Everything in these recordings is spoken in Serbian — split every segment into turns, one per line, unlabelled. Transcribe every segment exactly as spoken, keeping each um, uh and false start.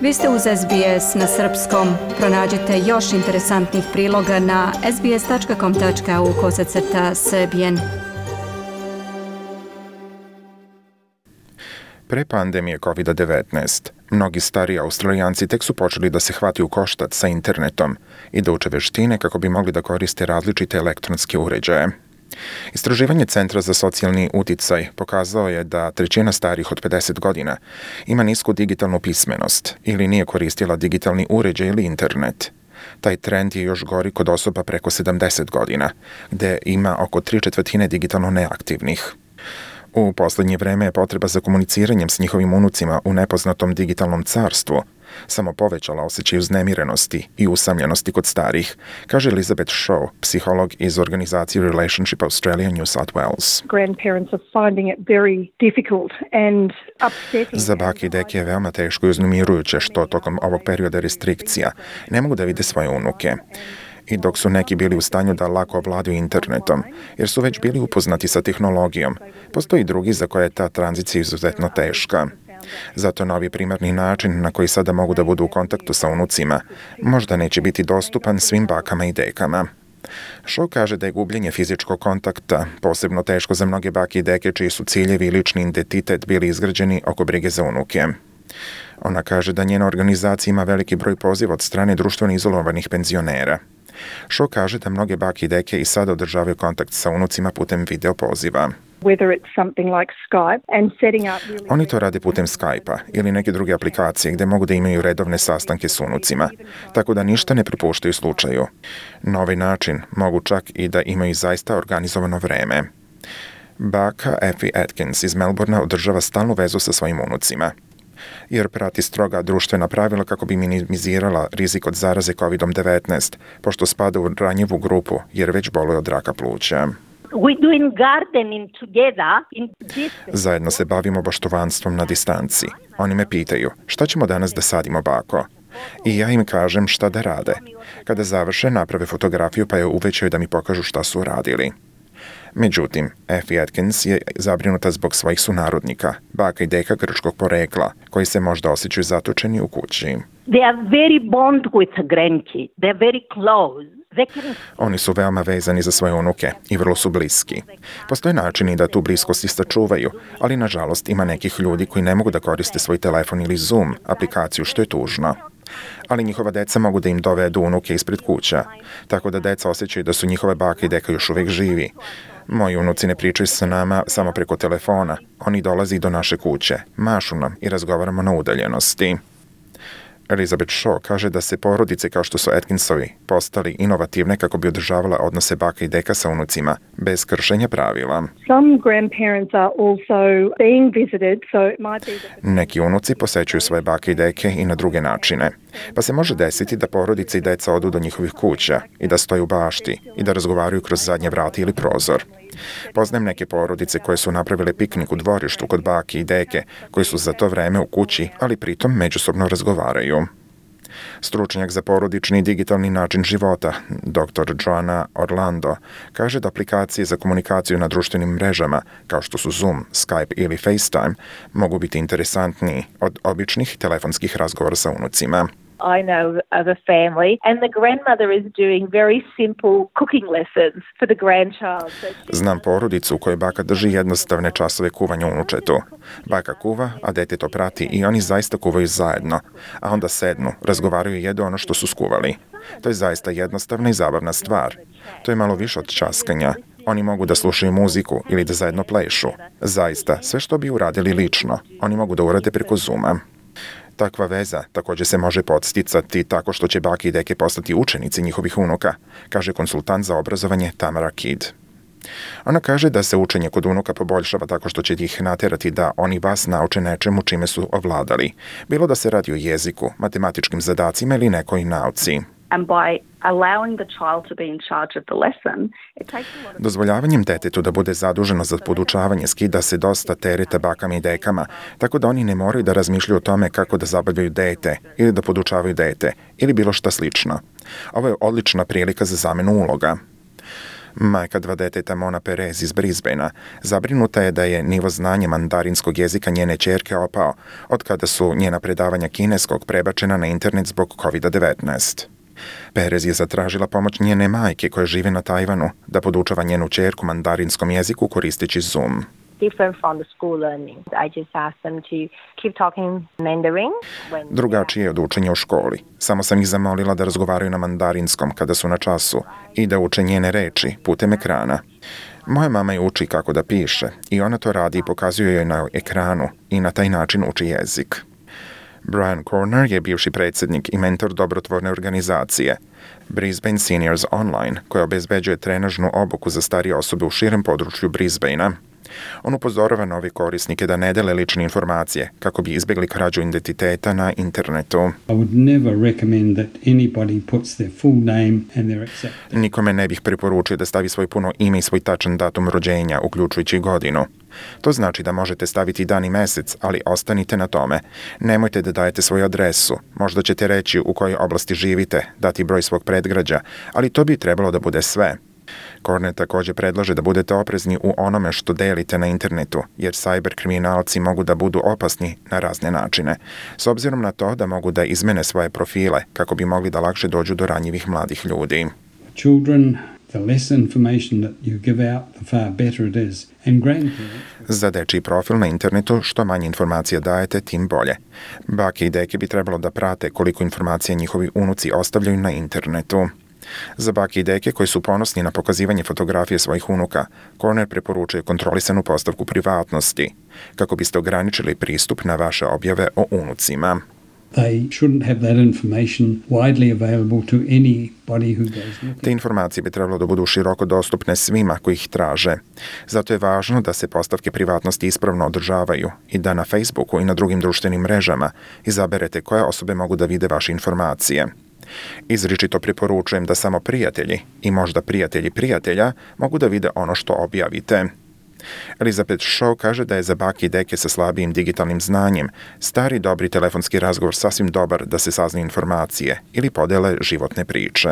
Vi ste uz S B S na srpskom. Pronađite još interesantnih priloga na sbs tačka com tačka au kosacrta srbijen.
Pre pandemije kovid devetnaest, mnogi stari Australijanci tek su počeli da se hvati u koštac sa internetom i da uče veštine kako bi mogli da koriste različite elektronske uređaje. Istraživanje Centra za socijalni uticaj pokazao je da trećina starih od pedeset godina ima nisku digitalnu pismenost ili nije koristila digitalni uređaj ili internet. Taj trend je još gori kod osoba preko sedamdeset godina, gde ima oko tri četvrtine digitalno neaktivnih. U poslednje vreme je potreba za komuniciranjem s njihovim unucima u nepoznatom digitalnom carstvu samo povećala osjećaj uznemirenosti i usamljenosti kod starih, kaže Elizabeth Shaw, psiholog iz organizacije Relationship Australia New South Wales.
Grandparents are finding it very difficult and upsetting.
Za bake i deke je veoma teško i uznemirujuće što tokom ovog perioda restrikcija ne mogu da vide svoje unuke. I dok su neki bili u stanju da lako ovladaju internetom, jer su već bili upoznati sa tehnologijom, postoji drugi za koje je ta tranzicija izuzetno teška. Zato novi primarni način na koji sada mogu da budu u kontaktu sa unucima možda neće biti dostupan svim bakama i dekama. Shaw kaže da je gubljenje fizičkog kontakta posebno teško za mnoge bake i deke čiji su ciljevi i lični identitet bili izgrađeni oko brige za unuke. Ona kaže da njena organizacija ima veliki broj poziva od strane društveno izolovanih penzionera. Shaw kaže da mnoge bake i deke i sada održavaju kontakt sa unucima putem video poziva. Oni to rade putem Skype-a ili neke druge aplikacije gde mogu da imaju redovne sastanke s unucima, tako da ništa ne prepuštaju slučaju. Na ovaj način mogu čak i da imaju zaista organizovano vreme. Baka Effie Atkins iz Melbournea održava stalnu vezu sa svojim unucima, jer prati stroga društvena pravila kako bi minimizirala rizik od zaraze kovid devetnaest, pošto spada u ranjivu grupu jer već boluje od raka pluća. Zajedno se bavimo baštovanstvom na distanci. Oni me pitaju, šta ćemo danas da sadimo, bako? I ja im kažem šta da rade. Kada završe, naprave fotografiju pa je uvećaju da mi pokažu šta su uradili. Međutim, Effie Atkins je zabrinuta zbog svojih sunarodnika, baka i deka grčkog porekla, koji se možda osjećaju zatočeni u kući. Oni su veoma vezani za svoje unuke i vrlo su bliski. Postoje načini da tu bliskost i sačuvaju, ali nažalost ima nekih ljudi koji ne mogu da koriste svoj telefon ili Zoom aplikaciju, što je tužno. Ali njihova deca mogu da im dovedu unuke ispred kuća, tako da deca osjećaju da su njihove bake i deka još uvek živi. Moji unuci ne pričaju sa nama samo preko telefona, oni dolaze do naše kuće, mašu nam i razgovaramo na udaljenosti. Elizabeth Shaw kaže da se porodice kao što su Atkinsovi postali inovativne kako bi održavala odnose baka i deka sa unucima, bez kršenja pravila. Neki unuci posećuju svoje bake i deke i na druge načine, pa se može desiti da porodice i deca odu do njihovih kuća i da stoju u bašti i da razgovaraju kroz zadnje vrata ili prozor. Poznajem neke porodice koje su napravile piknik u dvorištu kod bake i deke, koji su za to vreme u kući, ali pritom međusobno razgovaraju. Stručnjak za porodični i digitalni način života, doktor Joanna Orlando, kaže da aplikacije za komunikaciju na društvenim mrežama, kao što su Zoom, Skype ili FaceTime, mogu biti interesantniji od običnih telefonskih razgovora sa unucima.
I know of a family and the grandmother is doing very simple cooking lessons for the grandchild.
Znam porodicu u kojoj baka drži jednostavne časove kuvanja unučetu. Baka kuva, a dete to prati i oni zaista kuvaju zajedno, a onda sednu, razgovaraju i jedu ono što su skuvali. To je zaista jednostavna i zabavna stvar. To je malo više od časkanja. Oni mogu da slušaju muziku ili da zajedno plešu. Zaista, sve što bi uradili lično, oni mogu da urade preko Zooma. Takva veza također se može podsticati tako što će bake i deke postati učenici njihovih unuka, kaže konsultant za obrazovanje Tamara Kidd. Ona kaže da se učenje kod unuka poboljšava tako što će ih naterati da oni vas nauče nečemu čime su ovladali, bilo da se radi o jeziku, matematičkim zadacima ili nekoj nauci. Dozvoljavanjem detetu da bude zaduženo za podučavanje skida se dosta tereta bakama i dekama, tako da oni ne moraju da razmišljaju o tome kako da zabavljaju dete ili da podučavaju dete ili bilo šta slično. Ovo je odlična prilika za zamenu uloga. Majka dva deteta Mona Perez iz Brisbanea zabrinuta je da je nivo znanja mandarinskog jezika njene ćerke opao od kada su njena predavanja kineskog prebačena na internet zbog kovid devetnaest. Perez je zatražila pomoć njene majke koja žive na Tajvanu da podučava njenu ćerku mandarinskom jeziku koristeći Zoom.
Different from the school learning. I just asked them to keep talking Mandarin. When
Drugačije je od učenja u školi. Samo sam ih zamolila da razgovaraju na mandarinskom kada su na času i da uče njene reči putem ekrana. Moja mama je uči kako da piše i ona to radi i pokazuje joj na ekranu i na taj način uči jezik. Brian Corner je bivši predsjednik i mentor dobrotvorne organizacije Brisbane Seniors Online, koja obezbeđuje trenažnu obuku za starije osobe u širem području Brisbanea. On upozorava nove korisnike da ne dele lične informacije kako bi izbjegli krađu identiteta na internetu.
I would never recommend that anybody puts their full name and their exact.
Nikome ne bih preporučio da stavi svoj puno ime i svoj tačan datum rođenja, uključujući godinu. To znači da možete staviti dan i mesec, ali ostanite na tome. Nemojte da dajete svoju adresu. Možda ćete reći u kojoj oblasti živite, dati broj svog predgrađa, ali to bi trebalo da bude sve. Corner također predlaže da budete oprezni u onome što delite na internetu, jer cyber kriminalci mogu da budu opasni na razne načine, s obzirom na to da mogu da izmene svoje profile kako bi mogli da lakše dođu do ranjivih mladih ljudi.
Children, the less information that you give out, the far better it is. And grandparents.
Za dečiji profil na internetu što manje informacija dajete, tim bolje. Bake i deke bi trebalo da prate koliko informacija njihovi unuci ostavljaju na internetu. Za bake i deke koji su ponosni na pokazivanje fotografije svojih unuka, Corner preporučuje kontrolisanu postavku privatnosti, kako biste ograničili pristup na vaše objave o unucima.
They shouldn't have that information widely available to anybody who goes looking.
Te informacije bi trebalo da budu široko dostupne svima koji ih traže. Zato je važno da se postavke privatnosti ispravno održavaju i da na Facebooku i na drugim društvenim mrežama izaberete koje osobe mogu da vide vaše informacije. Izričito preporučujem da samo prijatelji i možda prijatelji prijatelja mogu da vide ono što objavite. Elizabeth Shaw kaže da je za bake i deke sa slabijim digitalnim znanjem stari dobri telefonski razgovor sasvim dobar da se saznaju informacije ili podele životne priče.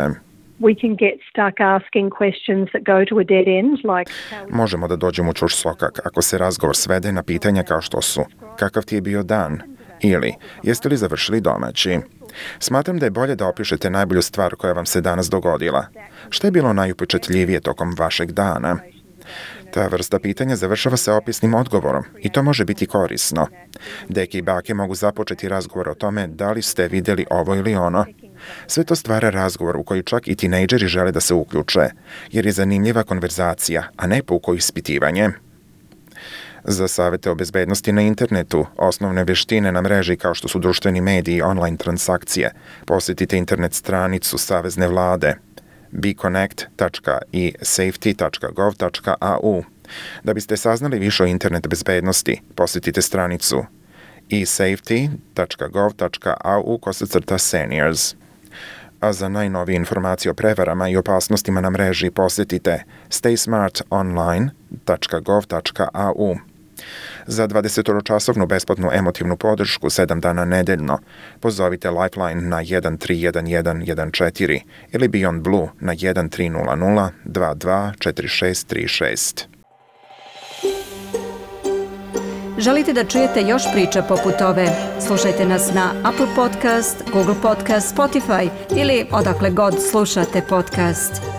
We can get stuck asking questions that go to a dead end, like
Možemo da dođemo u čuš sokak ako se razgovor svede na pitanja kao što su kakav ti je bio dan ili jeste li završili domaći. Smatram da je bolje da opišete najbolju stvar koja vam se danas dogodila. Šta je bilo najupečatljivije tokom vašeg dana? Ta vrsta pitanja završava se opisnim odgovorom i to može biti korisno. Deke i bake mogu započeti razgovor o tome da li ste vidjeli ovo ili ono. Sve to stvara razgovor u koji čak i tinejdžeri žele da se uključe, jer je zanimljiva konverzacija, a ne puko ispitivanje. Za savete o bezbednosti na internetu, osnovne veštine na mreži kao što su društveni mediji i online transakcije, posjetite internet stranicu Savezne vlade be connect dot i safety dot gov dot a u. Da biste saznali više o internet bezbednosti, posjetite stranicu e safety dot gov dot a u kosacrta seniors. A za najnovije informacije o prevarama i opasnostima na mreži posjetite stay smart online dot gov dot a u. Za dvadesetčasovnu besplatnu emotivnu podršku sedam dana nedeljno pozovite Lifeline na jedan tri jedan jedan jedan četiri ili Beyond Blue na jedan tri nula nula dva dva četiri šest tri šest.
Želite da čujete još priča poput ove? Slušajte nas na Apple Podcast, Google Podcast, Spotify ili odakle god slušate podcast.